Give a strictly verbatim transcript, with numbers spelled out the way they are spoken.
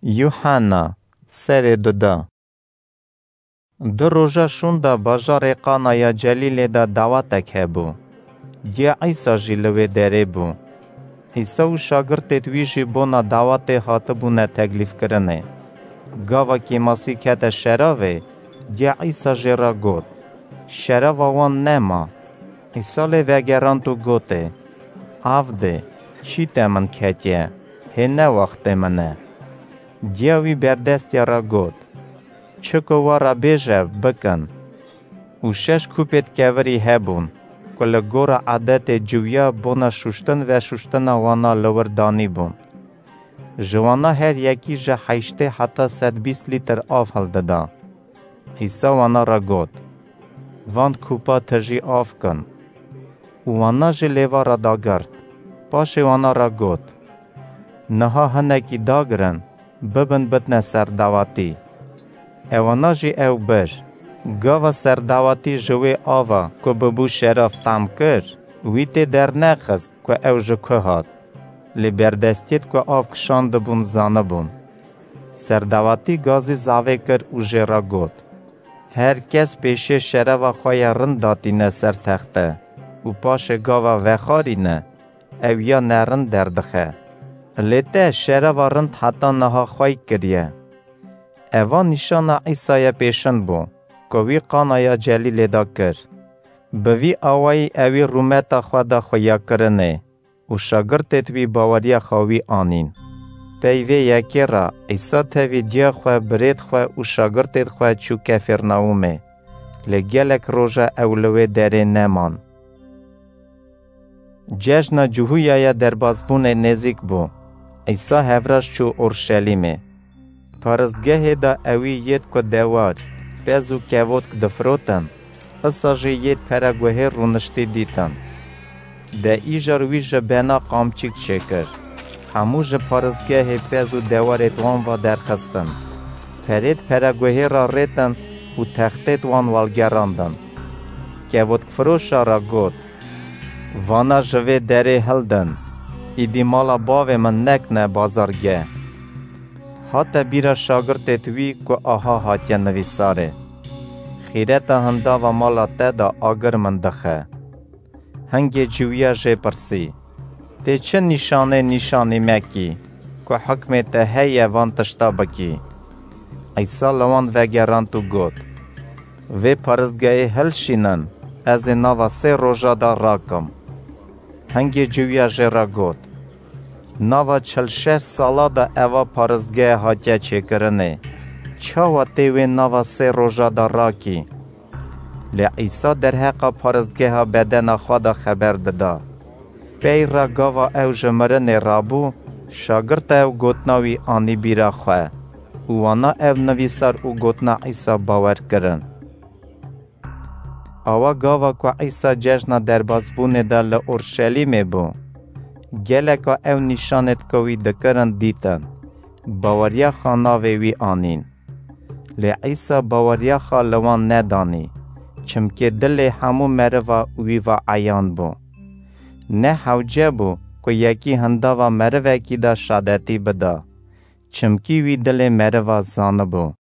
Yuhanna, serê duda. Du roja şûnda bajarê Qanaya Celîlê de dawetek hebû. Diya Îsa jî li wê derê bû. Îsa û şagirtêd wî jî bona dawetê hatibûne teklîfkirinê. Gava kêmasî kete şeravê, diya Îsa jê re got, "Şerava wan nema." Îsa lê vegerand û gotê, "Av dê, çî te min ketiye, hê ne wextê min e." Diya wî berdestiya re got, "Çi ku we re bêje, bikin." Û şeş kûpêd kevirî hebûn, ku li gora edetê ciwiya bona şuştin veşuştina wana li wir danîbûn. Ji wana her yekî ji heştê heta sed bîst lîtir av hildida. Îsa wana re got, "Van kûpa tijî av kin." Û wana jî lêva re dagirt. Paşê wana re got, "Niha hinekî dagirin, bibin bidne serdawetî." Ewana jî ew bir. Gava serdawetî ji wê ava ku bibû şerav tam kir, wî tê dernexist ku ew ji ku hat. Lê berdestiyêd ku av kişandibûn zanibûn. Serdawetî gazî zavê kir û jê re got, "Her kes pêşê şerava xwe ya rind datîne ser texte û paşê gava vexwarîne, ew ya nerind derdixe. Lê te şerava rind heta niha xwey kiriye." Eva nîşana Îsaya pêşin bû, ku wî Qanaya Celîlê de kir. Bi vî awayî ewî rûmeta xwe da xuyakirinê û şagirtêd wî baweriya xwe wî anîn. Pey vê yekê re Îsa tevî diya xwe, birêd xwe û şagirtêd xwe çû Kefêrnahûmê. Lê gelek roja ew li wê derê neman. Cejna Cihûyaya Derbazbûnê nêzîk bû. Îsa hevraş çû Orşelîmê. Paristgehê de ewî yêd ku dewar, pez û kevotk difirotin, isa jî yêd pereguhêr rûniştî dîtin. De îjar wî ji bena qamçîk çêkir. Hemû ji paristgehê pez û dewarêd wan va derxistin. Perêd pereguhêra rêtin û textêd wan welgerandin. Kevotkfiroşa re got, "Vana ji vê derê hildin, îdî mala bavê min nekne bazargeh." Hate bîra şagirtêd wî ku aha hatiye nivîsarê, "Xîreta hindava mala te de agir min dixe." Hingê ciwiya jê pirsî, "Tê çi nîşanê nîşanî me kî, ku hikmê te heye van tişta bikî?" Îsa li wan vegerand û got, "Vê paristgehê hilşînin, ez ê nava sê roja de rakim." Hingê ciwiya jê re got, "Nava çil şeş sala de eva paristgehe hatiye çêkirinê. Çawa tê wê nava sê roja de rakî?" Lê Îsa derheqa paristgeha bedena xwe de xeber dida. Pey re gava ew ji mirinê rabû, şagirta ew gotina wî anî bîra xwe û wana ev nivîsar û gotina Îsa bawer kirin. Awa gava ku Îsa cejna derbazbûnê de li Orşelîmê bû, geleka ew nîşanêd ku wî dikirin dîtin, baweriya xwe navê wî anîn. Lê Îsa baweriya xwe li wan nedanî, çimkê dilê hemû meriva wî ve eyan bû. Ne hewce bû ku yekî hindava merivekî de şadetî bida, çimkî wî dilê meriva zanibû.